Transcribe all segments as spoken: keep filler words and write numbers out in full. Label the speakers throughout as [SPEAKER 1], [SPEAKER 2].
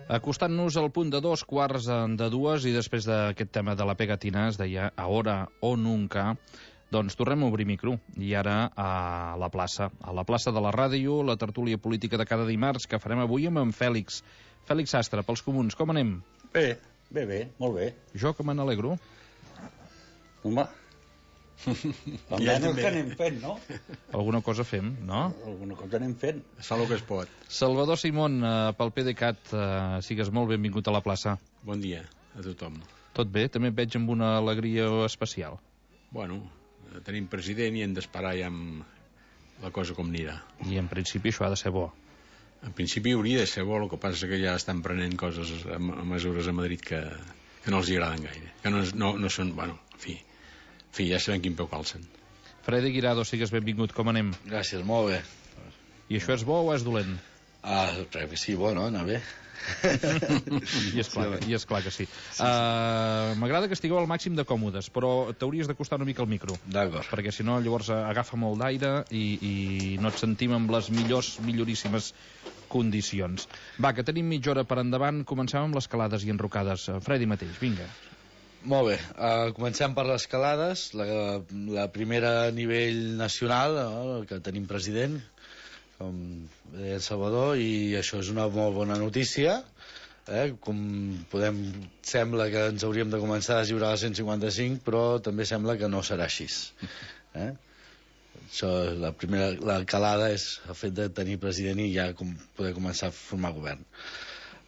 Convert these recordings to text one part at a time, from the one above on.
[SPEAKER 1] Acostant-nos al punt de dos quarts de dues i després d'aquest tema de la pegatina, es deia ahora o nunca, doncs tornem a obrir micro i ara a la plaça, a la plaça de la ràdio, la tertúlia política de cada dimarts que farem avui amb en Fèlix. Fèlix Sastre, pels comuns, com anem?
[SPEAKER 2] Bé, bé, bé, molt bé.
[SPEAKER 1] Jo que me n'alegro.
[SPEAKER 2] Home, almenys que anem fent, no?
[SPEAKER 1] Alguna cosa fem, no?
[SPEAKER 2] Alguna cosa anem fent.
[SPEAKER 3] Es fa el que es pot.
[SPEAKER 1] Salvador Simón, eh, pel PDeCAT, eh, sigues molt benvingut a la plaça.
[SPEAKER 3] Bon dia a tothom.
[SPEAKER 1] Tot bé? També et veig amb una alegria especial.
[SPEAKER 3] Bueno, tenim president i hem d'esperar ja amb la cosa com anirà.
[SPEAKER 1] I en principi això ha de ser bo.
[SPEAKER 3] En principi hauria de ser bo, el que passa és que ja estan prenent coses, a mesures a Madrid que, que no els agraden gaire. Que no, no, no són, bueno, en fi, en fi, ja sabem quin peu calcen.
[SPEAKER 1] Freddy Guirado, sigues benvingut, com anem?
[SPEAKER 4] Gràcies, molt bé.
[SPEAKER 1] I això és bo o és dolent?
[SPEAKER 4] Ah, crec que sí, bo, no? Anar bé.
[SPEAKER 1] I és clar, i és clar que sí. sí, sí. Uh, M'agrada que estigueu al màxim de còmodes, però t'hauries d'acostar una mica al micro.
[SPEAKER 4] D'acord.
[SPEAKER 1] Perquè si no llavors agafa molt d'aire i, i no et sentim amb les millors, milloríssimes condicions. Va, que tenim mitja hora per endavant, comencem amb les calades i enrocades. Freddy mateix, vinga.
[SPEAKER 4] Molt bé, uh, comencem per les calades. La, la primera a nivell nacional, no? Que tenim president, com deia el Salvador, i això és una molt bona notícia, eh? Com podem, sembla que ens hauríem de començar a lliurar a cent cinquanta-cinc, però també sembla que no serà així, eh? Això, la primera, la calada és el fet de tenir president i ja com, poder començar a formar govern.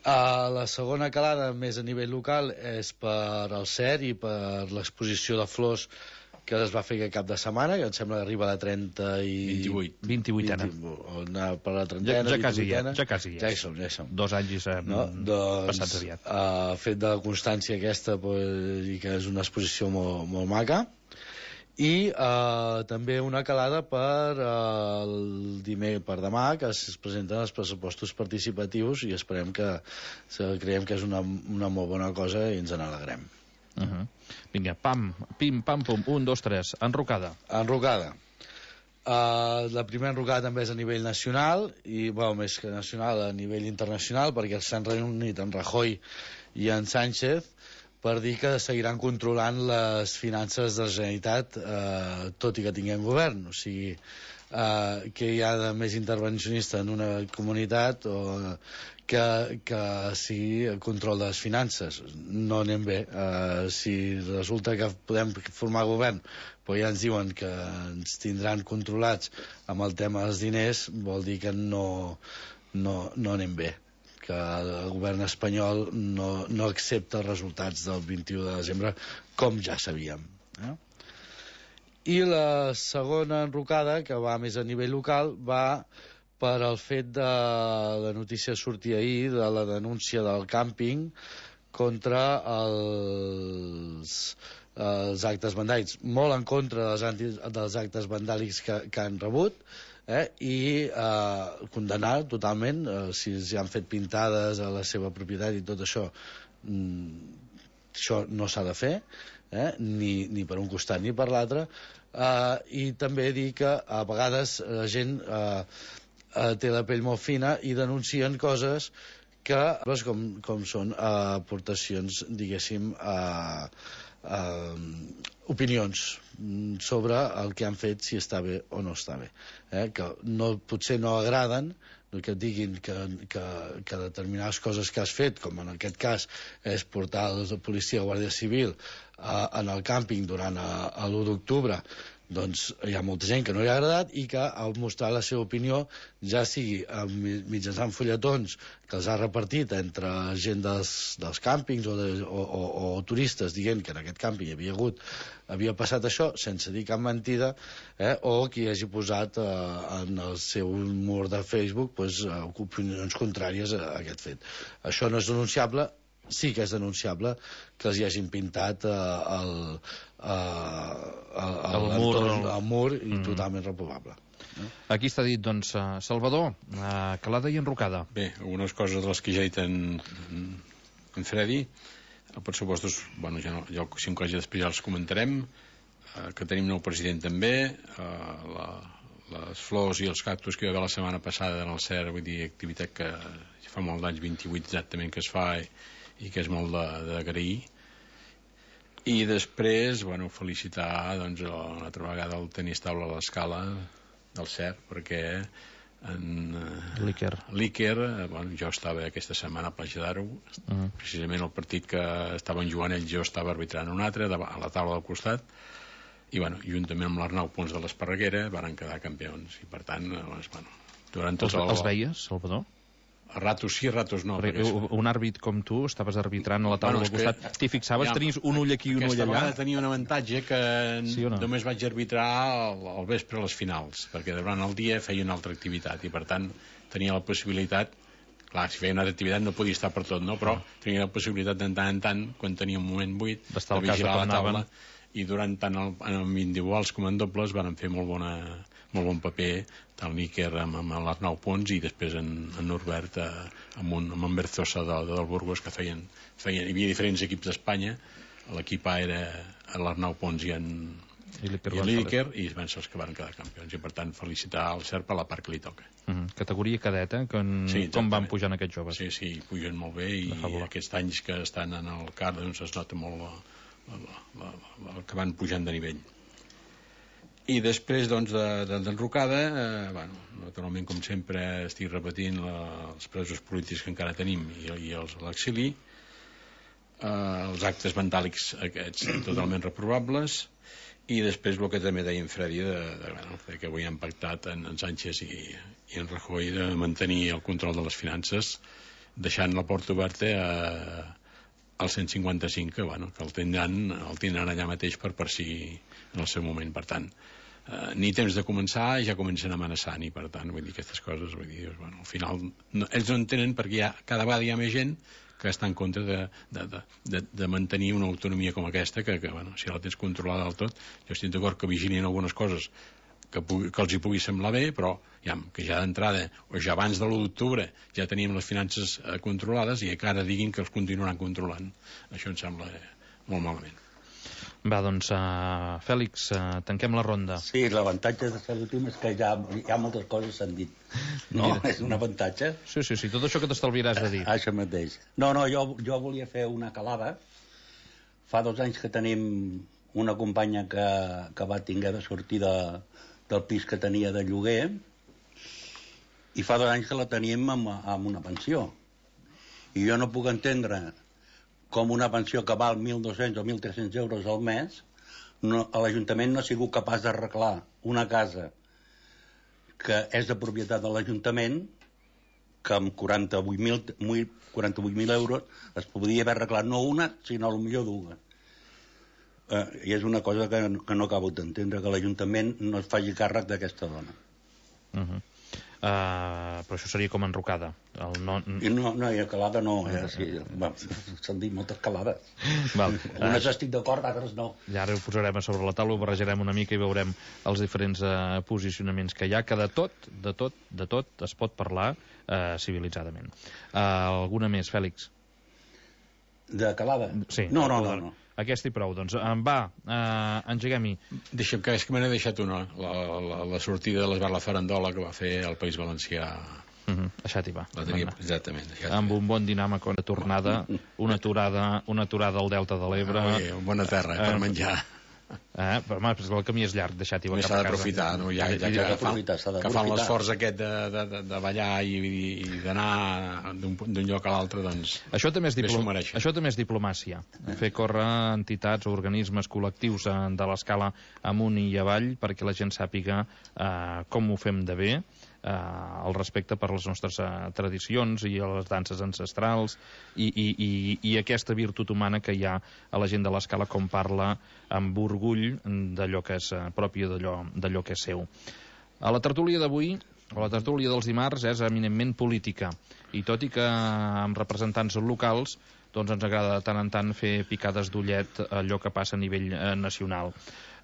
[SPEAKER 4] Uh, la segona calada, més a nivell local, és per al C E R i per l'exposició de flors que es va fer aquest cap de setmana, que em sembla que arriba a la trenta i...
[SPEAKER 3] vint-i-vuit.
[SPEAKER 1] vint-i-vuitena.
[SPEAKER 4] O anar per la trentena,
[SPEAKER 1] ja, ja quasi ja,
[SPEAKER 4] vint-i-vuitena.
[SPEAKER 1] ja quasi ja.
[SPEAKER 4] Ja hi som, ja hi som.
[SPEAKER 1] Dos anys i s'han
[SPEAKER 4] no? doncs,
[SPEAKER 1] passat aviat.
[SPEAKER 4] El uh, fet de la constància aquesta, pues, i que és una exposició molt, molt maca. I uh, també una calada per uh, el dimecres, per demà, que es presenten els pressupostos participatius i esperem que, creiem que és una, una molt bona cosa i ens n'alegrem.
[SPEAKER 1] Uh -huh. Vinga, pam, pim, pam, pum, un, dos, tres, enrocada.
[SPEAKER 4] Enrocada. Uh, la primera enrocada també és a nivell nacional i, bueno, més que nacional, a nivell internacional, perquè s'han reunit en Rajoy i en Sánchez per dir que seguiran controlant les finances de la Generalitat, eh, tot i que tinguem govern. O sigui, eh, que hi ha de més intervencionista en una comunitat o que, que sigui el control de les finances. No anem bé. Eh, si resulta que podem formar govern, però ja ens diuen que ens tindran controlats amb el tema dels diners, vol dir que no, no, no anem bé, que el govern espanyol no, no accepta els resultats del vint-i-u de desembre, com ja sabíem. Eh? I la segona enrocada, que va més a nivell local, va per al fet de la notícia sortir ahir de la denúncia del càmping contra els, els actes vandàlics, molt en contra dels, anti, dels actes vandàlics que, que han rebut, eh? I eh, condenar totalment, eh, si ja han fet pintades a la seva propietat i tot això, mm, això no s'ha de fer, eh? ni, ni per un costat ni per l'altre, eh, i també dir que a vegades la gent eh, eh, té la pell molt fina i denuncien coses que, com, com són eh, aportacions, diguéssim, a eh, Uh, opinions sobre el que han fet, si està bé o no està bé, eh? Que no, potser no agraden, que et diguin que, que, que determinades coses que has fet, com en aquest cas és portar la policia o Guàrdia Civil uh, en el càmping durant l'u d'octubre, doncs hi ha molta gent que no li ha agradat i que al mostrar la seva opinió, ja sigui mitjançant fulletons que els ha repartit entre gent dels, dels càmpings o, de, o, o, o turistes dient que en aquest càmping hi havia hagut havia passat això sense dir cap mentida, eh, o qui hagi posat eh, en el seu mur de Facebook pues, opinions contràries a, a aquest fet. Això no és denunciable. Sí que és denunciable que els hi hagin pintat eh, el, eh, el, el, el mur, el mur i mm. totalment reprovable.
[SPEAKER 1] Aquí està dit, doncs, Salvador, calada i enrocada.
[SPEAKER 3] Bé, algunes coses de les que ja ha dit en, en Freddy. Els pressupostos, bueno, ja no, jo, si un cos després ja els comentarem, eh, que tenim nou president també, eh, la, les flors i els cactus que hi va haver la setmana passada en el C E R, vull dir, activitat que fa molt d'anys, vint-i-vuit exactament, que es fa i, i que és molt d'agrair. I després, bueno, felicitar doncs, una altra vegada el tenis taula a l'Escala del C E R, perquè en uh,
[SPEAKER 1] l'Iker,
[SPEAKER 3] l'Iker eh, bueno, jo estava aquesta setmana a Platja d'Aro, uh -huh. precisament el partit que estaven jugant ells, jo estava arbitrant un altre a la taula del costat, i bueno, juntament amb l'Arnau Pons de l'Esparreguera varen quedar campions, i per tant doncs, bueno, durant tot
[SPEAKER 1] els,
[SPEAKER 3] el...
[SPEAKER 1] els veies, Salvador?
[SPEAKER 3] A ratos sí, a ratos no.
[SPEAKER 1] Perquè perquè... un àrbit com tu, estaves arbitrant a la taula
[SPEAKER 3] bueno,
[SPEAKER 1] del costat,
[SPEAKER 3] que...
[SPEAKER 1] t'hi fixaves, ja, tenies un ull aquí i un ull allà?
[SPEAKER 3] Aquesta vegada tenia un avantatge que
[SPEAKER 1] sí no?
[SPEAKER 3] només vaig arbitrar al, al vespre a les finals, perquè durant el dia feia una altra activitat, i per tant tenia la possibilitat, clar, si feia una altra activitat no podia estar per tot, no? Però tenia la possibilitat de tant en tant, quan tenia un moment buit, de vigilar la taula, i durant tant el, en individuals com en dobles van fer molt bona molt bon paper, tant l'Iker amb, amb l'Arnau Pons i després en, en Norbert eh, amb, un, amb en Berzosa de, de del Burgos, que feien, feien hi havia diferents equips d'Espanya, l'equip A era l'Arnau Pons i en i l'Iker, i van ser els que van quedar campions, i per tant felicitar el C E R per la part que li toca.
[SPEAKER 1] Uh -huh. Categoria cadeta, que en... sí, com van pujant aquests joves?
[SPEAKER 3] Sí, sí, pugen molt bé, i aquests anys que estan en el C A R doncs es nota molt la, la, la, la, la, que van pujant de nivell. I després, doncs, d'enrocada, de, eh, bueno, naturalment, com sempre, estic repetint la, els presos polítics que encara tenim i, i els a l'exili, eh, els actes vandàlics aquests totalment reprovables, i després el que també deia en Freddy, de, de, bueno, de que avui han pactat en, en Sánchez i, i en Rajoy de mantenir el control de les finances, deixant la porta oberta a, al cent cinquanta-cinc, que, bueno, que el tindran, el tindran allà mateix per per si en el seu moment. Per tant, eh, ni temps de començar ja comencen amenaçant, i per tant, vull dir, aquestes coses, vull dir, bueno, al final no, ells no entenen, perquè hi ha, cada vegada hi ha més gent que està en contra de, de, de, de, de mantenir una autonomia com aquesta, que, que bueno, si la tens controlada del tot, jo estic d'acord que vigilin algunes coses que, pugui, que els hi pugui semblar bé, però ja, que ja d'entrada, o ja abans de l'u d'octubre, ja teníem les finances eh, controlades, i encara diguin que els continuaran controlant. Això em sembla eh, molt malament.
[SPEAKER 1] Va, doncs, uh, Fèlix, uh, tanquem la ronda.
[SPEAKER 2] Sí, l'avantatge de ser l'últim és que ja, ja moltes coses s'han dit. No? Mira. És un avantatge.
[SPEAKER 1] Sí, sí, sí, tot això que t'estalviaràs de dir.
[SPEAKER 2] Ah, això mateix. No, no, jo, jo volia fer una calada. Fa dos anys que tenim una companya que, que va tinguer de sortir de, del pis que tenia de lloguer, i fa dos anys que la tenim amb, amb una pensió. I jo no puc entendre com una pensió que val mil dos-cents o mil tres-cents euros al mes, no, l'Ajuntament no ha sigut capaç d'arreglar una casa que és de propietat de l'Ajuntament, que amb quaranta-vuit mil euros es podria haver arreglat no una, sinó potser dues. Eh, I és una cosa que, que no acabo d'entendre, que l'Ajuntament no es faci càrrec d'aquesta dona.
[SPEAKER 1] Uh -huh. Uh, però això seria com enrocada. El no...
[SPEAKER 2] I no, no, i calada no, eh? Sí, s'han dit moltes calades.
[SPEAKER 1] Val.
[SPEAKER 2] Unes uh, estic d'acord, altres no.
[SPEAKER 1] I ara ho posarem a sobre la taula, ho barrejarem una mica i veurem els diferents uh, posicionaments que hi ha, que de tot, de tot, de tot es pot parlar uh, civilitzadament. Uh, alguna més, Fèlix?
[SPEAKER 2] De calada?
[SPEAKER 1] Sí.
[SPEAKER 2] No, no, no, no.
[SPEAKER 1] Aquesta i prou, doncs. Va, uh, engeguem-hi.
[SPEAKER 3] Deixa'm que és que me n'he deixat una, la, la, la sortida de l'Esbar La Farandola que va fer el País Valencià.
[SPEAKER 1] Uh -huh. Deixat-hi va.
[SPEAKER 3] La tenia, exactament.
[SPEAKER 1] Amb un bon dinàmic de tornada, una aturada, una aturada al Delta de l'Ebre.
[SPEAKER 3] Ah, bona terra, eh, per menjar.
[SPEAKER 1] Eh, però, home, el camí és llarg, deixat-hi va cap a casa.
[SPEAKER 3] S'ha d'aprofitar, no? Ja, ja, ja que, fan, que fan l'esforç aquest de, de, de ballar i, i d'anar d'un lloc a l'altre, doncs
[SPEAKER 1] això també és, diplom això també és diplomàcia. Eh. Fer córrer entitats o organismes col·lectius de l'escala amunt i avall perquè la gent sàpiga eh, com ho fem de bé, Uh, el respecte per les nostres uh, tradicions i les danses ancestrals i, i, i, i aquesta virtut humana que hi ha a la gent de l'escala, com parla amb orgull d'allò que és uh, propi d'allò que és seu. A la tertúlia d'avui, a la tertúlia dels dimarts, és eminentment política, i tot i que amb representants locals doncs ens agrada de tant en tant fer picades d'ullet allò que passa a nivell uh, nacional.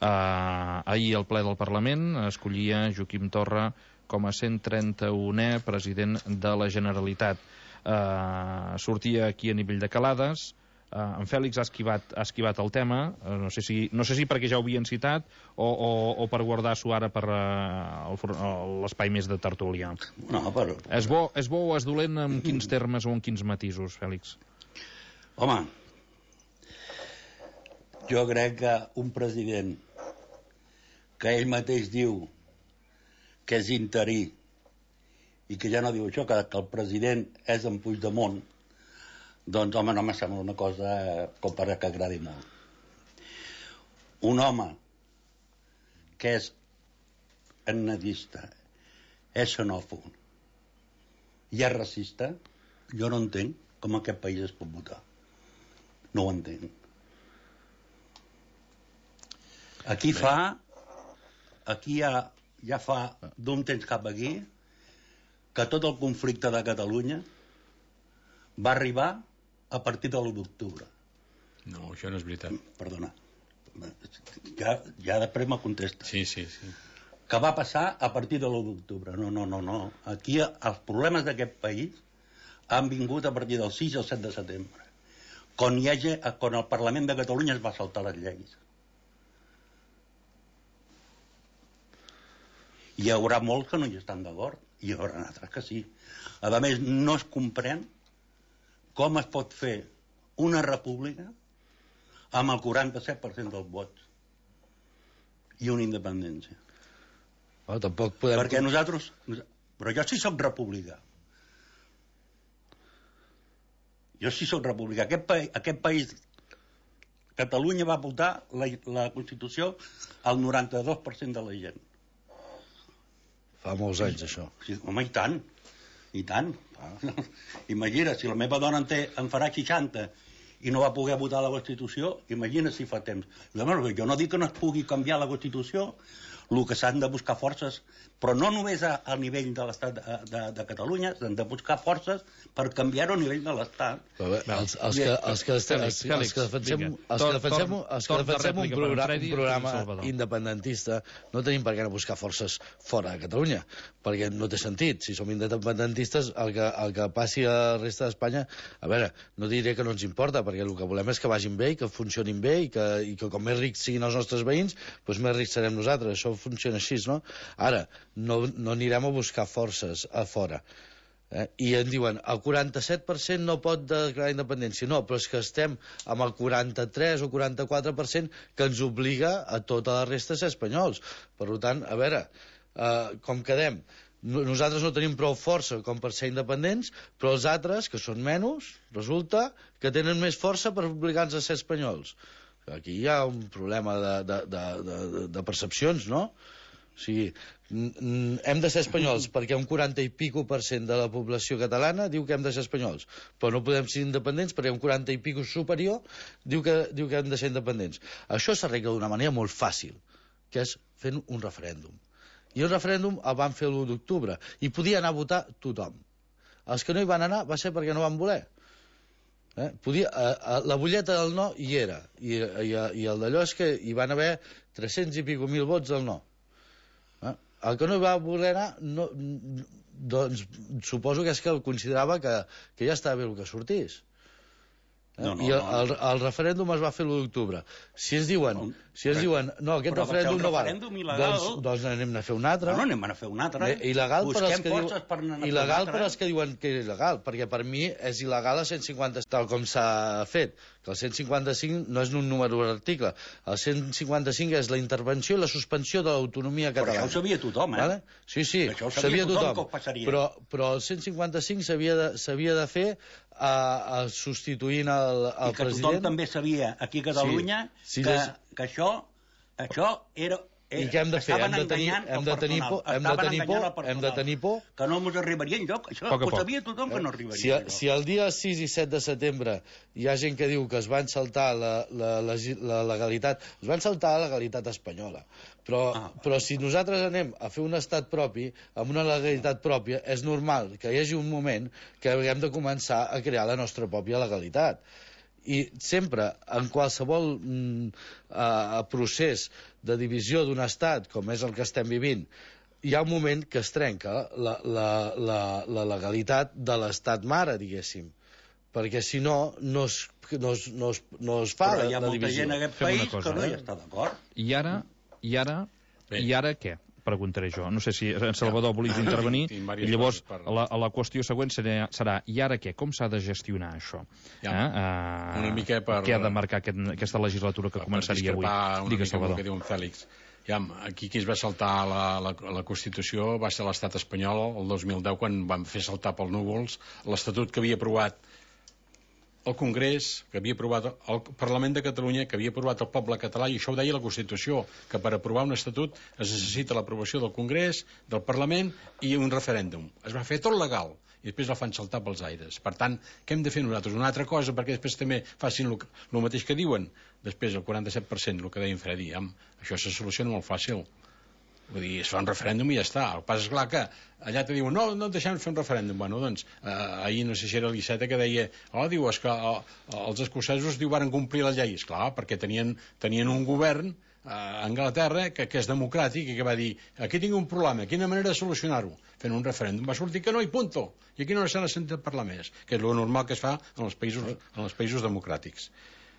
[SPEAKER 1] Uh, ahir el ple del Parlament escollia Joaquim Torra com a cent trenta-unè president de la Generalitat. Uh, sortia aquí a nivell de calades, Uh, en Fèlix ha esquivat, ha esquivat el tema, uh, no, sé si, no sé si perquè ja ho havien citat o, o, o per guardar-s'ho ara per uh, l'espai més de tertúlia.
[SPEAKER 2] No, però...
[SPEAKER 1] És bo, és bo o és dolent en quins termes o en quins matisos, Fèlix?
[SPEAKER 2] Home, jo crec que un president que ell mateix diu que és interí i que ja no diu això, que, que el president és en Puigdemont, doncs, home, no me sembla una cosa com per que agradi molt. Un home que és etnista, és xenòfob i és racista, jo no entenc com aquest país es pot votar. No ho entenc. Aquí fa... Aquí ja, ja fa d'un temps cap aquí que tot el conflicte de Catalunya va arribar a partir de l'u d'octubre.
[SPEAKER 3] No, això no és veritat.
[SPEAKER 2] Perdona. Ja, ja després me contesta.
[SPEAKER 3] Sí, sí, sí.
[SPEAKER 2] Que va passar a partir de l'u d'octubre. No, no, no, no. Aquí els problemes d'aquest país han vingut a partir del sis o set de setembre. Quan, hi hagi, quan el Parlament de Catalunya es va saltar les lleis. Hi haurà molts que no hi estan d'acord. Hi haurà altres que sí. A més, no es comprèn com es pot fer una república amb el quaranta-set per cent dels vots i una independència.
[SPEAKER 4] Oh, tampoc podem...
[SPEAKER 2] Perquè nosaltres... Però jo sí soc republicà. Jo sí soc republicà. Aquest, pa... aquest país... Catalunya va votar la, la Constitució al noranta-dos per cent de la gent.
[SPEAKER 4] Fa molts anys, això.
[SPEAKER 2] Sí, home, i tant. I tant. Imagina, si la meva dona en, té, en farà seixanta i no va poder votar la Constitució, imagina si fa temps. Jo no dic que no es pugui canviar la Constitució, el que s'han de buscar forces, però no només a, a nivell de l'Estat de, de, de Catalunya, s'han de buscar forces per canviar-ho a nivell de l'Estat.
[SPEAKER 4] Els, els, que, els, que estem, els, els que defensem, els que defensem, els que defensem un, programa, un programa independentista no tenim per què anar a buscar forces fora de Catalunya, perquè no té sentit. Si som independentistes, el que, el que passi a la resta d'Espanya, a veure, no diré que no ens importa, perquè el que volem és que vagin bé i que funcionin bé i que, i que com més rics siguin els nostres veïns, doncs més rics serem nosaltres. Això funciona així, no? Ara, no, no anirem a buscar forces a fora. Eh? I ens diuen, el quaranta-set per cent no pot declarar independència. No, però és que estem amb el quaranta-tres o quaranta-quatre per cent que ens obliga a tota la resta a ser espanyols. Per tant, a veure, eh, com quedem? Nosaltres no tenim prou força com per ser independents, però els altres, que són menys, resulta que tenen més força per obligar-nos a ser espanyols. Aquí hi ha un problema de, de, de, de, de percepcions, no? O sigui, hem de ser espanyols perquè un quaranta i pico per cent de la població catalana diu que hem de ser espanyols, però no podem ser independents perquè un quaranta i pico superior diu que, diu que hem de ser independents. Això s'arregla d'una manera molt fàcil, que és fent un referèndum. I el referèndum el van fer l'u d'octubre i podia anar a votar tothom. Els que no hi van anar va ser perquè no van voler. Eh? Podia, eh, eh, la butlleta del no hi era, i, i, i el d'allò és que hi van haver tres-cents i pico mil vots del no. Eh? El que no hi va voler anar, no, doncs suposo que és que considerava que, que ja estava bé el que sortís. Eh? No, no, I el, el, el referèndum es va fer l'u d'octubre. Si ens diuen, no, si ens diuen no, aquest referèndum no val, doncs, doncs anem a fer un altre.
[SPEAKER 2] No, no anem a fer un altre.
[SPEAKER 4] Eh, il·legal per als que, diu, per il·legal per als que diuen que és il·legal, perquè per mi és il·legal el cent cinquanta, tal com s'ha fet, que el cent cinquanta-cinc no és un número d'article. El cent cinquanta-cinc és la intervenció i la suspensió de l'autonomia catalana.
[SPEAKER 2] Però ja ho sabia tothom, eh?
[SPEAKER 4] Vale? Sí, sí,
[SPEAKER 2] això ho sabia, sabia tothom,
[SPEAKER 4] tothom. Però, però el cent cinquanta-cinc s'havia de, s'havia de fer a, a substituint el, el
[SPEAKER 2] I que
[SPEAKER 4] president.
[SPEAKER 2] Tothom també sabia aquí a Catalunya sí, sí, que, des... que això, això era...
[SPEAKER 4] I què hem de fer? Hem de tenir, hem de tenir por, hem de tenir por, hem de tenir por.
[SPEAKER 2] Que no ens arribaria enlloc, això ho sabia tothom que no arribaria
[SPEAKER 4] si,
[SPEAKER 2] enlloc.
[SPEAKER 4] Si el dia sis i set de setembre hi ha gent que diu que es van saltar la, la, la, la legalitat, es van saltar la legalitat espanyola. Però, ah, però si nosaltres anem a fer un estat propi, amb una legalitat pròpia, és normal que hi hagi un moment que haguem de començar a crear la nostra pròpia legalitat. I sempre, en qualsevol mm, uh, procés de divisió d'un estat, com és el que estem vivint, hi ha un moment que es trenca la, la, la, la legalitat de l'estat mare, diguéssim. perquè si no, no es, no es, no es, no es fa
[SPEAKER 2] Però
[SPEAKER 4] la,
[SPEAKER 2] hi ha
[SPEAKER 4] la
[SPEAKER 2] molta
[SPEAKER 4] divisió.
[SPEAKER 2] gent en aquest
[SPEAKER 1] Fem una
[SPEAKER 2] país
[SPEAKER 1] cosa,
[SPEAKER 2] que no
[SPEAKER 1] eh?
[SPEAKER 2] hi està d'acord.
[SPEAKER 1] I ara, i ara,
[SPEAKER 3] Bé.
[SPEAKER 1] i ara què? Preguntaré jo. No sé si en Salvador volies intervenir,
[SPEAKER 3] Tinc- tinc
[SPEAKER 1] i
[SPEAKER 3] diverses
[SPEAKER 1] llavors
[SPEAKER 3] coses per-
[SPEAKER 1] la, la qüestió següent serà, serà i ara què? Com s'ha de gestionar això?
[SPEAKER 3] Ja,
[SPEAKER 1] eh? Uh,
[SPEAKER 3] una mica per-
[SPEAKER 1] Què ha de marcar aquest, aquesta legislatura que
[SPEAKER 3] per
[SPEAKER 1] començaria avui?
[SPEAKER 3] discrepar una
[SPEAKER 1] Digues,
[SPEAKER 3] mica amb el
[SPEAKER 1] Salvador.
[SPEAKER 3] que diu en Fèlix. Ja, aquí qui es va saltar la, la, la Constitució va ser l'estat espanyol el dos mil deu, quan van fer saltar pels núvols l'Estatut que havia aprovat el Congrés, que havia aprovat el Parlament de Catalunya, que havia aprovat el poble català, i això ho deia la Constitució, que per aprovar un estatut es necessita l'aprovació del Congrés, del Parlament i un referèndum. Es va fer tot legal, i després el fan saltar pels aires. Per tant, què hem de fer nosaltres? Una altra cosa, perquè després també facin el mateix que diuen. Després, el quaranta-set per cent, el que deia en Freddy, amb, això se soluciona molt fàcil. Vull dir, es fa un referèndum i ja està. El pas és clar que allà te diuen, no, no et deixem fer un referèndum. Bueno, doncs, eh, ahir no sé si era l'Iceta que deia, oh, diu, és que eh, els escocesos diu varen complir la llei. Esclar, perquè tenien, tenien un govern eh, a Anglaterra que, que és democràtic i que va dir, aquí tinc un problema, quina manera de solucionar-ho? Fent un referèndum. Va sortir que no, i punto. I aquí no s'ha de sentir parlar més, que és el normal que es fa en els països, en els països democràtics.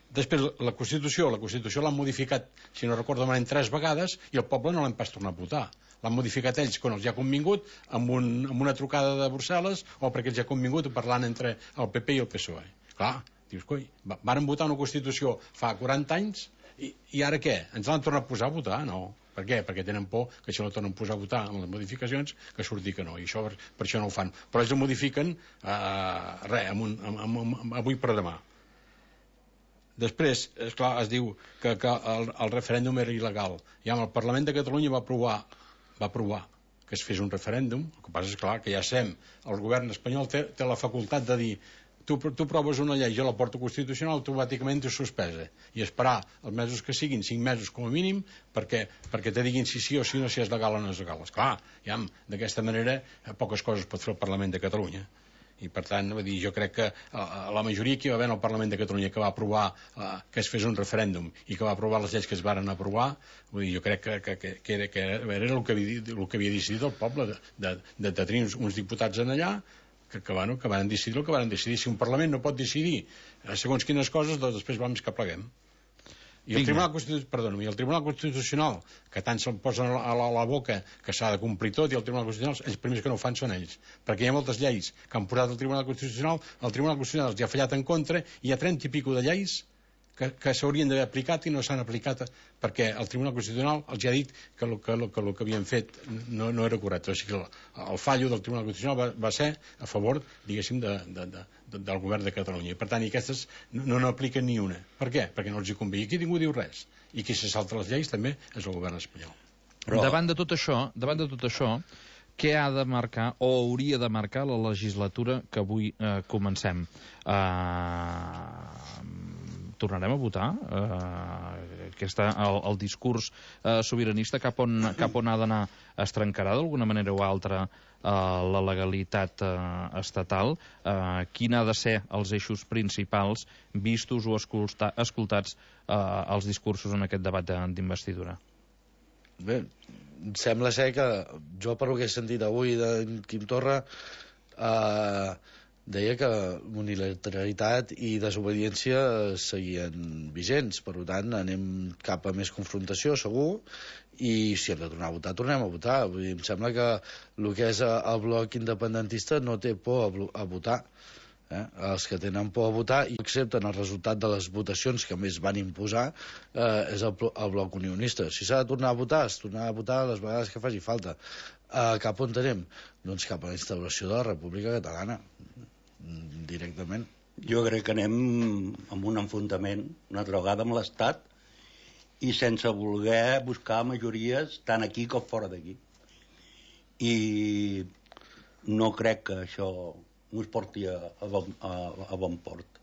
[SPEAKER 3] Després, la Constitució, la Constitució l'han modificat, si no recordo malament, tres vegades, i el poble no l'han pas tornat a votar. L'han modificat ells quan els hi ha convingut, amb, un, amb una trucada de Brussel·les, o perquè els hi ha convingut parlant entre el P P i el P S O E. Clar, dius, coi, varen votar una Constitució fa quaranta anys, i, i ara què? Ens l'han tornat a posar a votar? No. Per què? Perquè tenen por que si la tornen a posar a votar amb les modificacions, que surti que no, i això per, per això no ho fan. Però ells ho modifiquen, eh, res, amb un, amb, amb, amb, avui per demà. Després, esclar, es diu que, que el, el referèndum era il·legal. Ja el Parlament de Catalunya va aprovar, va aprovar que es fes un referèndum. El que passa és clar que ja sabem, el govern espanyol té, té la facultat de dir tu, tu proves una llei, jo la porto constitucional, automàticament t'ho suspesa. I esperar els mesos que siguin, cinc mesos com a mínim, perquè, perquè te diguin si sí o si no, si és legal o no és legal. Esclar, ja, d'aquesta manera poques coses pot fer el Parlament de Catalunya. I per tant, vull dir, jo crec que uh, la majoria que hi va haver en el Parlament de Catalunya que va aprovar uh, que es fes un referèndum i que va aprovar les lleis que es varen aprovar, vull dir, jo crec que, que, que, que, era, que era el que, havia, el que havia decidit el poble de, de, de, de tenir uns, uns diputats en allà que, que, bueno, que van decidir el que van decidir. Si un Parlament no pot decidir eh, segons quines coses, doncs després vam que pleguem. I el, Tribunal Perdona, i el Tribunal Constitucional, que tant se'l posen a la, a la boca que s'ha de complir tot, i el Tribunal Constitucional, els primers que no ho fan són ells. Perquè hi ha moltes lleis que han posat al Tribunal Constitucional, el Tribunal Constitucional els ha fallat en contra, i hi ha trenta i pico de lleis que, que s'haurien d'haver aplicat i no s'han aplicat perquè el Tribunal Constitucional els ha dit que el que, que, que havien fet no, no era correcte. O sigui que el, el fallo del Tribunal Constitucional va, va ser a favor, diguéssim, de, de, de, de, del govern de Catalunya. I per tant, i aquestes no n'apliquen ni una. Per què? Perquè no els hi convé. I aquí ningú diu res. I qui se salta les lleis també és el govern espanyol.
[SPEAKER 1] Però... Davant de tot això, davant de tot això, què ha de marcar o hauria de marcar la legislatura que avui eh, comencem? Eh... Tornarem a votar eh, aquesta, el, el discurs eh, sobiranista cap on, cap on ha d'anar? Es trencarà d'alguna manera o altra eh, la legalitat eh, estatal? Eh, quin ha de ser els eixos principals vistos o escolta, escoltats eh, els discursos en aquest debat d'investidura?
[SPEAKER 4] Bé, sembla ser que jo, per el que he sentit avui de Quim Torra, eh, deia que unilateralitat i desobediència seguien vigents. Per tant, anem cap a més confrontació, segur, i si hem de tornar a votar, tornem a votar. Vull dir, em sembla que el que és el bloc independentista no té por a, a votar. Eh? Els que tenen por a votar i accepten el resultat de les votacions que més van imposar eh, és el, el bloc unionista. Si s'ha de tornar a votar, es tornarà a votar les vegades que faci falta. Eh, cap on anem? Doncs cap a la instauració de la República Catalana, directament.
[SPEAKER 2] Jo crec que anem amb un enfrontament una altra vegada amb l'Estat i sense voler buscar majories tant aquí com fora d'aquí. I no crec que això ens porti a, a, bon, a, a bon port.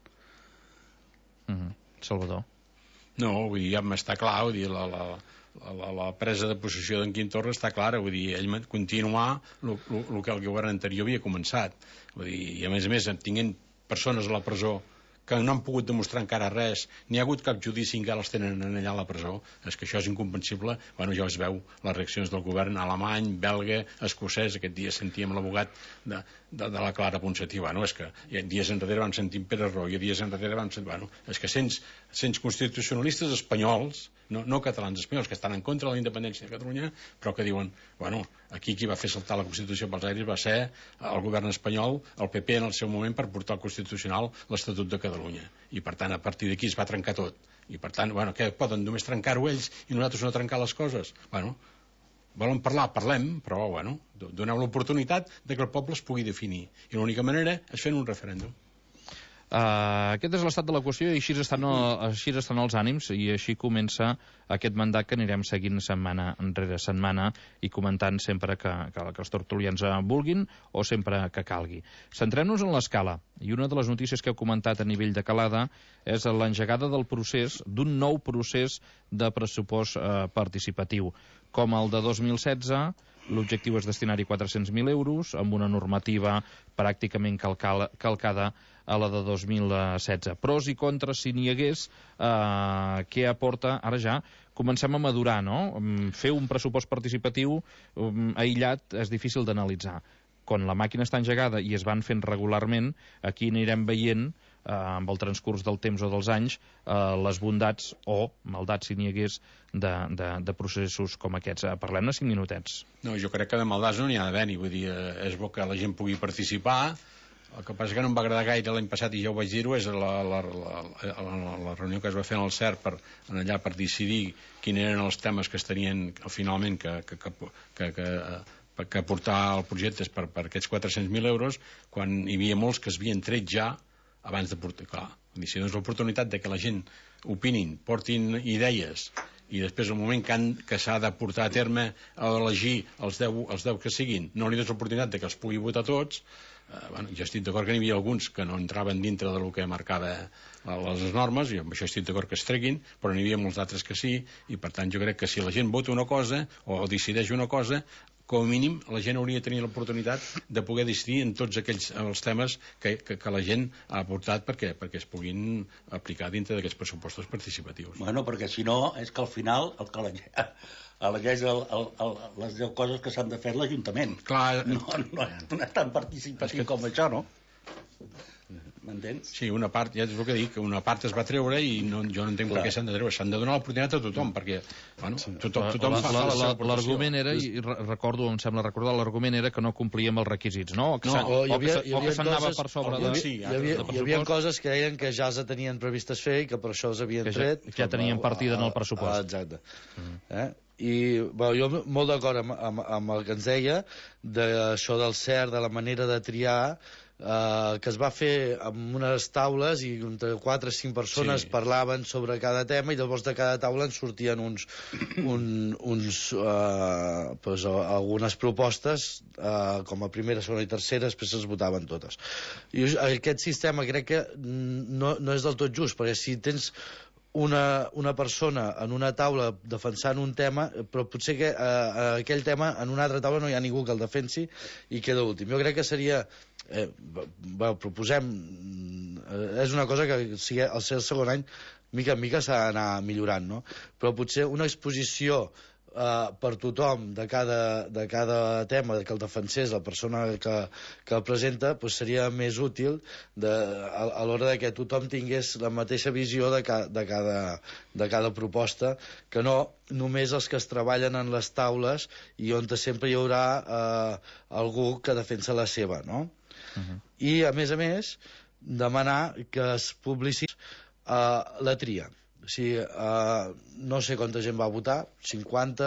[SPEAKER 1] Mm-hmm. Salvador.
[SPEAKER 3] No, vull dir, ja m'està clar, vull dir, la, la, la, la presa de possessió d'en Quim Torra està clara, vull dir, ell continuar el que el govern anterior havia començat. Vull dir, i a més a més, tinguent persones a la presó que no han pogut demostrar encara res, ni ha hagut cap judici, encara els tenen allà a la presó. És que això és incomprensible. Bueno, ja es veu les reaccions del govern alemany, belga, escocès. Aquest dia sentíem l'abogat de, de, de la Clara Ponsatí. Bueno, és que dies enrere vam sentir Pere Royo, dies enrere vam sentir... Bueno, és que cents, cents constitucionalistes espanyols, no, no catalans, espanyols, que estan en contra de la independència de Catalunya, però que diuen, bueno, aquí qui va fer saltar la Constitució pels aires va ser el govern espanyol, el P P en el seu moment, per portar al Constitucional l'Estatut de Catalunya. I per tant, a partir d'aquí es va trencar tot. I per tant, bueno, què poden només trencar-ho ells i nosaltres no trencar les coses? Bueno, volen parlar, parlem, però, bueno, doneu l'oportunitat de que el poble es pugui definir. I l'única manera és fent un referèndum.
[SPEAKER 1] Uh, aquest és l'estat de la qüestió i així estan, el, així estan els ànims i així comença aquest mandat que anirem seguint setmana enrere setmana i comentant sempre que, que, que els tertulians vulguin o sempre que calgui. Centrem-nos en l'escala i una de les notícies que heu comentat a nivell de calada és l'engegada del procés, d'un nou procés de pressupost uh, participatiu. Com el de dos mil setze, l'objectiu és destinar-hi quatre-cents mil euros amb una normativa pràcticament calcada, calcada a la de dos mil setze. Pros i contres, si n'hi hagués, eh, què aporta? Ara ja comencem a madurar, no? Fer un pressupost participatiu um, aïllat és difícil d'analitzar. Quan la màquina està engegada i es van fent regularment, aquí anirem veient, eh, amb el transcurs del temps o dels anys, eh, les bondats o maldats, si n'hi hagués, de, de, de processos com aquests. Eh, Parlem-ne cinc minutets.
[SPEAKER 3] No, jo crec que de maldats no n'hi ha d'haver, vull dir, eh, és bo que la gent pugui participar. El que passa que no em va agradar gaire l'any passat, i ja ho vaig dir-ho, és la, la, la, la, la reunió que es va fer en el C E R per, en allà per decidir quins eren els temes que es tenien finalment que, que, que, que, que, que portar al projecte per, per aquests quatre-cents mil euros, quan hi havia molts que es havien tret ja abans de portar. Clar, si dones l'oportunitat de que la gent opinin, portin idees, i després el moment que, han, que s'ha de portar a terme a elegir els deu, els deu que siguin, no li dones l'oportunitat de que els pugui votar tots. Uh, bueno, jo estic d'acord que n'hi havia alguns que no entraven dintre del que marcava les normes, i amb això estic d'acord que es treguin, però n'hi havia molts altres que sí, i per tant jo crec que si la gent vota una cosa o decideix una cosa, com a mínim la gent hauria de tenir l'oportunitat de poder decidir en tots aquells els temes que, que, que la gent ha aportat perquè, perquè es puguin aplicar dintre d'aquests pressupostos participatius.
[SPEAKER 2] Bueno, perquè si no, és que al final el que la, elegeix el, el, el, les deu coses que s'han de fer l'Ajuntament.
[SPEAKER 3] Clar,
[SPEAKER 2] no, no, no és tan participatiu que... com això, no? M'entens?
[SPEAKER 3] Sí, una part, ja és el que dic, una part es va treure i no, jo no entenc Clar. per què s'han de treure. S'han de donar l'oportunitat a tothom, perquè bueno, tothom, tothom fa la, la, la, la
[SPEAKER 1] l'argument era, i recordo, em sembla recordar, l'argument era que no complíem els requisits, no? O que
[SPEAKER 4] no, o, havia, o que
[SPEAKER 1] s'anava per sobre de...
[SPEAKER 4] Sí, hi havia, hi havia coses que deien que ja els tenien previstes fer i que per això els havien
[SPEAKER 1] que
[SPEAKER 4] tret.
[SPEAKER 1] Ja, que ja tenien partida en el pressupost.
[SPEAKER 4] Ah, exacte. Mm. Eh? I bueno, jo molt d'acord amb, amb, amb el que ens deia d'això del C E R, de la manera de triar, Uh, que es va fer amb unes taules i entre quatre o cinc persones sí. parlaven sobre cada tema i llavors de cada taula en sortien uns, un, uns uh, pues, uh, algunes propostes uh, com a primera, segona i tercera, després es votaven totes. I aquest sistema crec que no, no és del tot just, perquè si tens una, una persona en una taula defensant un tema, però potser que uh, aquell tema en una altra taula no hi ha ningú que el defensi i queda últim. Jo crec que seria eh, bueno, proposem eh, és una cosa que sigui, al ser el segon any mica en mica s'ha d'anar millorant, no? Però potser una exposició Uh, per tothom de cada, de cada tema que el defensés la persona que, que el presenta, pues seria més útil de, a, a l'hora de que tothom tingués la mateixa visió de, ca, de, cada, de cada proposta, que no només els que es treballen en les taules i on sempre hi haurà uh, algú que defensa la seva, no? Uh-huh. I a més a més demanar que es publiciti uh, la tria. O sigui, uh, no sé quanta gent va votar, cinquanta,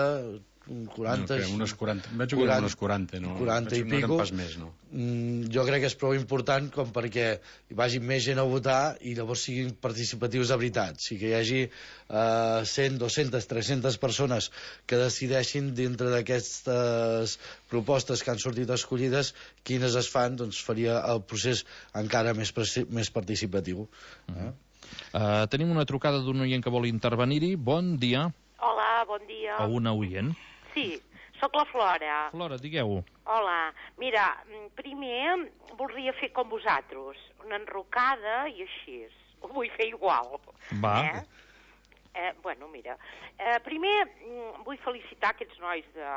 [SPEAKER 4] quaranta...
[SPEAKER 3] No, unes quaranta, veig que quaranta, unes quaranta, no?
[SPEAKER 4] quaranta i pico.
[SPEAKER 3] No pas més, no?
[SPEAKER 4] Mm, jo crec que és prou important com perquè hi vagi més gent a votar i llavors siguin participatius de veritat. O sigui, que hi hagi uh, cent, dues-centes, tres-centes persones que decideixin dintre d'aquestes propostes que han sortit escollides quines es fan, doncs faria el procés encara més, més participatiu.
[SPEAKER 1] Uh-huh. eh? Uh, tenim una trucada d'un oient que vol intervenir-hi. Bon dia.
[SPEAKER 5] Hola, bon dia.
[SPEAKER 1] O una oient.
[SPEAKER 5] Sí, sóc la Flora.
[SPEAKER 1] Flora, digueu-ho.
[SPEAKER 5] Hola, mira, primer voldria fer com vosaltres, una enrocada i així. ho vull fer igual.
[SPEAKER 1] Va.
[SPEAKER 5] Eh? Eh, bueno, mira, eh, primer vull felicitar aquests nois de,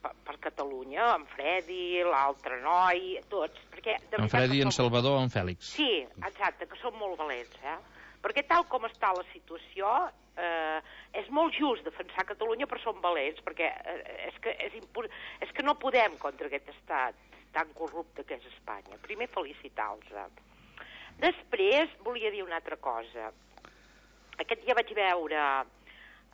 [SPEAKER 5] per, per Catalunya, en Fredi, l'altre noi, tots. Perquè, de
[SPEAKER 1] en Fredi, en Salvador, en Fèlix.
[SPEAKER 5] Sí, exacte, que són molt valents, eh? Perquè tal com està la situació, eh, és molt just defensar Catalunya, però són valents, perquè eh, és, que és, impor... és que no podem contra aquest estat tan corrupte que és Espanya. Primer, felicitar-los. Després, volia dir una altra cosa. Aquest dia vaig veure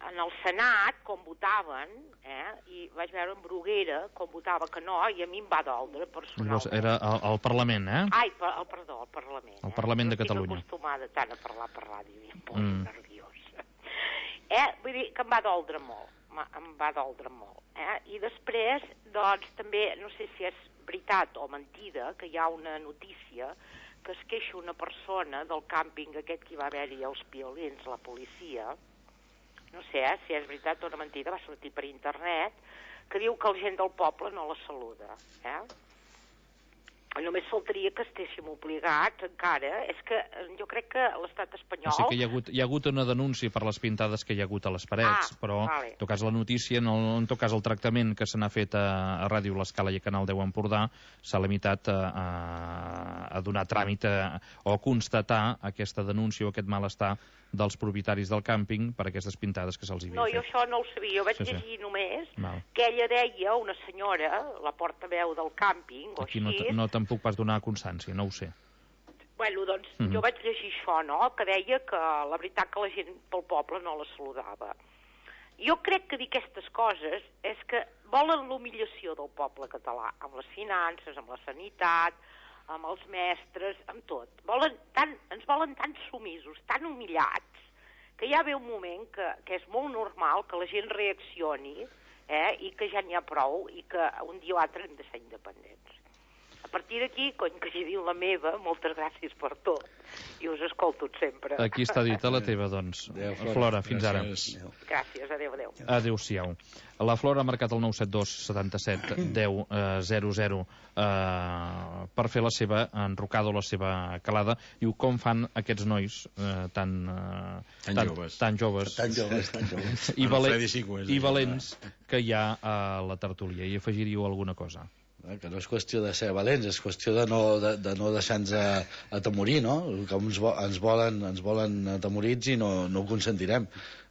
[SPEAKER 5] en el Senat com votaven, eh, i vaig veure en Bruguera com votava que no, i a mi em va doldre personalment.
[SPEAKER 1] Era el, el Parlament, eh?
[SPEAKER 5] Ai, per, el, perdó, el Parlament.
[SPEAKER 1] El Parlament
[SPEAKER 5] eh?
[SPEAKER 1] de Catalunya.
[SPEAKER 5] No estic acostumada tant a parlar per ràdio i em poso
[SPEAKER 1] Mm.
[SPEAKER 5] nerviós. Eh? Vull dir que em va doldre molt, em va doldre molt. Eh? I després, doncs, també, no sé si és veritat o mentida, que hi ha una notícia que es queixa una persona del càmping aquest que hi va haver-hi els piolins, la policia, no sé eh, si és veritat o una mentida, va sortir per internet, que diu que la gent del poble no la saluda. Eh? Només faltaria que estéssim obligats encara. És que jo crec que l'estat espanyol...
[SPEAKER 1] Sí que hi ha, hagut, hi ha hagut una denúncia per les pintades que hi ha hagut a les parets,
[SPEAKER 5] ah,
[SPEAKER 1] però
[SPEAKER 5] vale.
[SPEAKER 1] en tot cas la notícia, en, el, en tot cas el tractament que se n'ha fet a, a Ràdio L'Escala i a Canal deu Empordà s'ha limitat a, a, a donar tràmit a, o a constatar aquesta denúncia o aquest malestar dels propietaris del càmping per aquestes pintades que se'ls havia
[SPEAKER 5] no,
[SPEAKER 1] fet.
[SPEAKER 5] No, jo això no ho sabia, jo vaig
[SPEAKER 1] sí, sí.
[SPEAKER 5] llegir només
[SPEAKER 1] Val.
[SPEAKER 5] que ella deia, una senyora, la portaveu del càmping, o
[SPEAKER 1] Aquí
[SPEAKER 5] així...
[SPEAKER 1] no, no te'n puc pas donar constància, no ho sé.
[SPEAKER 5] Bueno, doncs
[SPEAKER 1] Mm -hmm.
[SPEAKER 5] jo vaig llegir això, no?, que deia que la veritat que la gent del poble no la saludava. Jo crec que dir aquestes coses és que volen l'humiliació del poble català, amb les finances, amb la sanitat, amb els mestres, amb tot. Volen tan, ens volen tan sumisos, tan humillats, que ja ve un moment que, que és molt normal que la gent reaccioni, eh, i que ja n'hi ha prou i que un dia o altre hem de ser independents. A partir d'aquí, cony, que ja diu la meva, moltes gràcies per tot, i us escolto sempre.
[SPEAKER 1] Aquí està dita la teva, doncs.
[SPEAKER 4] Adéu, Flora.
[SPEAKER 1] Flora, fins ara.
[SPEAKER 5] Gràcies, adéu, adéu.
[SPEAKER 1] Adéu-siau. La Flora ha marcat el nou set dos setanta-set deu zero zero eh, per fer la seva enrocada o la seva calada. Diu, com fan aquests nois eh, tan, eh,
[SPEAKER 3] tan,
[SPEAKER 1] tan
[SPEAKER 3] joves,
[SPEAKER 1] tan joves,
[SPEAKER 2] tan joves, tan joves.
[SPEAKER 1] I,
[SPEAKER 3] bueno,
[SPEAKER 1] valen,
[SPEAKER 3] sí és,
[SPEAKER 1] i valents que hi ha a la tertúlia. I afegiríeu alguna cosa?
[SPEAKER 4] Que no és qüestió de ser valents, és qüestió de no, de, de no deixar-nos atemorir, no? Que ens, vo, ens, volen, ens volen atemorits i no, no ho consentirem.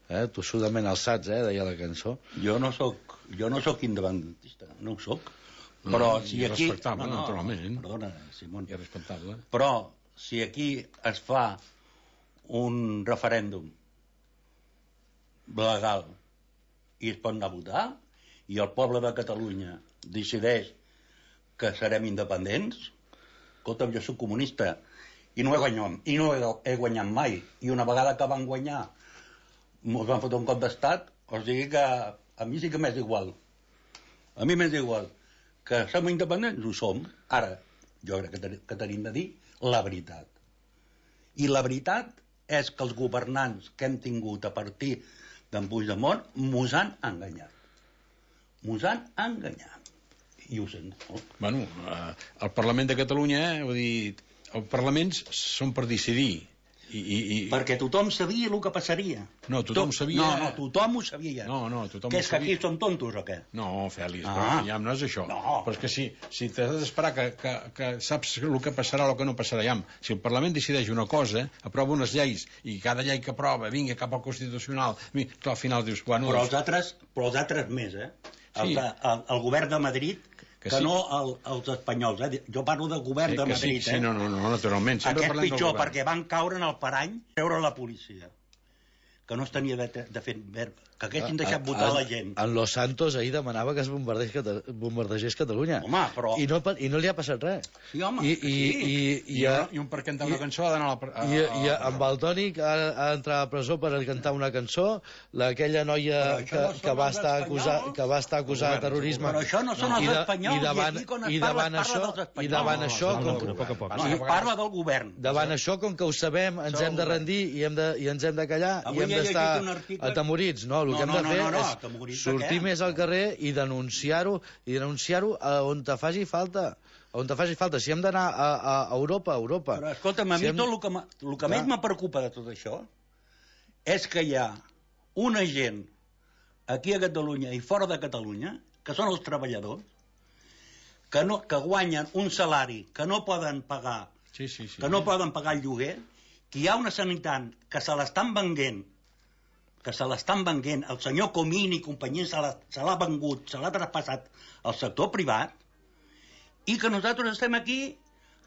[SPEAKER 4] Eh? Tossudament alçats, eh? Deia la cançó.
[SPEAKER 2] Jo no soc, jo no soc independentista, no ho soc. Però
[SPEAKER 3] no,
[SPEAKER 2] si aquí...
[SPEAKER 3] respectable,
[SPEAKER 2] no, no,
[SPEAKER 3] naturalment.
[SPEAKER 2] Perdona, Simón.
[SPEAKER 3] I respectable.
[SPEAKER 2] Però si aquí es fa un referèndum legal i es pot anar a votar i el poble de Catalunya decideix que serem independents, escolta'm, jo soc comunista i no he guanyat, i no he, he guanyat mai, i una vegada que van guanyar ens van fotre un cop d'estat, o sigui que a mi sí que m'és igual, a mi m'és igual que som independents, ho som. Ara, jo crec que, que tenim de dir la veritat, i la veritat és que els governants que hem tingut a partir d'en Puigdemont mos han enganyat, mos han enganyat. I ho sento.
[SPEAKER 3] Bueno, eh, el Parlament de Catalunya, eh, vull dir, els parlaments són per decidir. I, i, i...
[SPEAKER 2] Perquè tothom sabia el que passaria.
[SPEAKER 3] No, tothom
[SPEAKER 2] Tot,
[SPEAKER 3] sabia...
[SPEAKER 2] No, no, tothom ho sabia.
[SPEAKER 3] No, no, tothom
[SPEAKER 2] que
[SPEAKER 3] ho
[SPEAKER 2] és que
[SPEAKER 3] sabia.
[SPEAKER 2] aquí som tontos o què?
[SPEAKER 3] No, Fèlix,
[SPEAKER 2] Ah.
[SPEAKER 3] però ja no és això.
[SPEAKER 2] No.
[SPEAKER 3] Però és que si, si t'has d'esperar que, que, que saps el que passarà o el que no passarà, ja, si el Parlament decideix una cosa, aprova unes lleis, i cada llei que aprova vinga cap al Constitucional, vinga, clar, al final dius... Bueno,
[SPEAKER 2] Però els altres, però els altres més, eh? El,
[SPEAKER 3] Sí.
[SPEAKER 2] de, el, el govern de Madrid,
[SPEAKER 3] Que
[SPEAKER 2] que,
[SPEAKER 3] sí.
[SPEAKER 2] no el, els espanyols, eh? Jo parlo del govern
[SPEAKER 3] Sí,
[SPEAKER 2] de
[SPEAKER 3] que
[SPEAKER 2] Madrid,
[SPEAKER 3] sí, sí,
[SPEAKER 2] eh?
[SPEAKER 3] no, no, no, naturalment. Sempre
[SPEAKER 2] Aquest
[SPEAKER 3] parlem del
[SPEAKER 2] pitjor,
[SPEAKER 3] govern.
[SPEAKER 2] perquè van caure en el parany treure la policia, que no es tenia de, de fer verb, que haguessin deixat votar
[SPEAKER 4] en,
[SPEAKER 2] la gent.
[SPEAKER 4] En Los Santos ahir demanava que es bombardés, Cata, bombardegés Catalunya.
[SPEAKER 2] Home, però...
[SPEAKER 4] I no, I no li ha passat res.
[SPEAKER 2] Sí, home,
[SPEAKER 4] I,
[SPEAKER 2] sí.
[SPEAKER 4] i, i,
[SPEAKER 3] I,
[SPEAKER 4] i, a,
[SPEAKER 3] un, I un per cantar una
[SPEAKER 4] i-
[SPEAKER 3] cançó ha d'anar a la... A,
[SPEAKER 4] i,
[SPEAKER 3] a,
[SPEAKER 4] i amb el Toni que ha, ha d'entrar a presó per cantar una cançó, aquella noia
[SPEAKER 2] Però això
[SPEAKER 4] que,
[SPEAKER 2] no són
[SPEAKER 4] que, va
[SPEAKER 2] els
[SPEAKER 4] estar acusar,
[SPEAKER 2] espanyols.
[SPEAKER 4] que va estar acusada de terrorisme.
[SPEAKER 2] Però això no són
[SPEAKER 4] I
[SPEAKER 2] els
[SPEAKER 4] de-
[SPEAKER 2] espanyols,
[SPEAKER 4] i davant,
[SPEAKER 2] i aquí quan es
[SPEAKER 4] i
[SPEAKER 2] parla,
[SPEAKER 4] davant
[SPEAKER 2] es parla
[SPEAKER 4] això,
[SPEAKER 2] dels espanyols.
[SPEAKER 4] i davant
[SPEAKER 2] No,
[SPEAKER 4] això,
[SPEAKER 1] no,
[SPEAKER 4] com,
[SPEAKER 1] no, no, a poc a poc.
[SPEAKER 2] No, i parla del govern.
[SPEAKER 4] davant això, com que ho sabem, ens
[SPEAKER 2] Això
[SPEAKER 4] hem de rendir i, hem de, i ens hem de callar
[SPEAKER 2] Avui
[SPEAKER 4] i hem
[SPEAKER 2] he
[SPEAKER 4] d'estar
[SPEAKER 2] llegit un article-
[SPEAKER 4] atemorits. No, el que hem de
[SPEAKER 2] no,
[SPEAKER 4] fer
[SPEAKER 2] no, no,
[SPEAKER 4] és
[SPEAKER 2] t'amoris de
[SPEAKER 4] sortir
[SPEAKER 2] què?
[SPEAKER 4] més al carrer i denunciar-ho, i denunciar-ho on te faci falta. On te faci falta. Si hem d'anar a, a Europa, a Europa.
[SPEAKER 2] Però escolta'm, a
[SPEAKER 4] si
[SPEAKER 2] mi
[SPEAKER 4] hem...
[SPEAKER 2] tot el que, m- el que més me preocupa de tot això és que hi ha una gent aquí a Catalunya i fora de Catalunya, que són els treballadors, que, no, que guanyen un salari que no poden pagar,
[SPEAKER 3] Sí, sí, sí.
[SPEAKER 2] que no poden pagar el lloguer, que hi ha una sanitat que se l'estan venguent, que se l'estan venguent, el senyor Comín i companyia se l'ha se l'ha vengut, se l'ha traspassat al sector privat, i que nosaltres estem aquí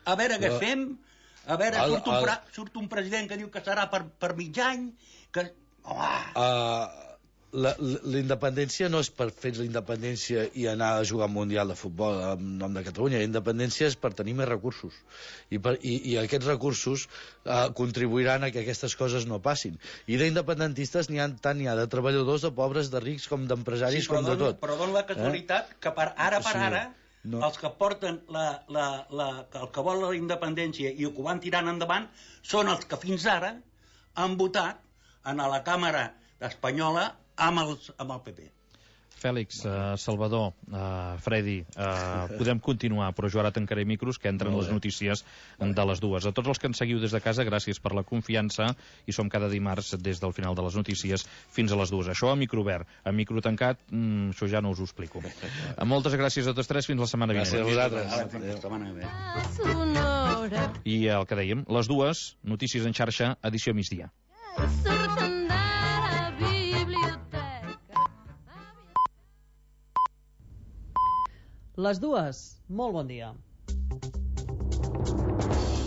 [SPEAKER 2] a veure què
[SPEAKER 4] Però...
[SPEAKER 2] fem, a veure,
[SPEAKER 4] El-
[SPEAKER 2] surt un,
[SPEAKER 4] el-
[SPEAKER 2] pra, surt un president que diu que serà per, per mig any, que... Oh,
[SPEAKER 4] Uh, la, la independència no és per fer la independència i anar a jugar un mundial de futbol en nom de Catalunya. La independència és per tenir més recursos. I, per, i, i aquests recursos uh, contribuiran a que aquestes coses no passin. I d'independentistes n'hi ha tant, n'hi ha de treballadors, de pobres, de rics, com d'empresaris,
[SPEAKER 2] sí,
[SPEAKER 4] com de
[SPEAKER 2] dona,
[SPEAKER 4] tot.
[SPEAKER 2] però dona la casualitat eh? que per, ara per
[SPEAKER 4] Sí,
[SPEAKER 2] ara
[SPEAKER 4] no.
[SPEAKER 2] els que porten la, la, la, el que vol la independència i el que ho van tirant endavant són els que fins ara han votat en la Càmera espanyola amb, els, amb el P P.
[SPEAKER 1] Fèlix, uh, Salvador, uh, Freddy, uh, podem continuar, però jo ara tancaré micros que entren les notícies de les dues. A tots els que ens seguiu des de casa, gràcies per la confiança, i som cada dimarts des del final de les notícies fins a les dues. Això a micro obert, a micro tancat, mm, això ja no us ho explico. Uh, moltes gràcies a tots tres, fins la setmana vinent.
[SPEAKER 4] Gràcies a vosaltres.
[SPEAKER 2] Ara, fins la setmana vinent.
[SPEAKER 1] I el que dèiem, les dues, notícies en xarxa, edició migdia.
[SPEAKER 6] Les dues, molt bon dia.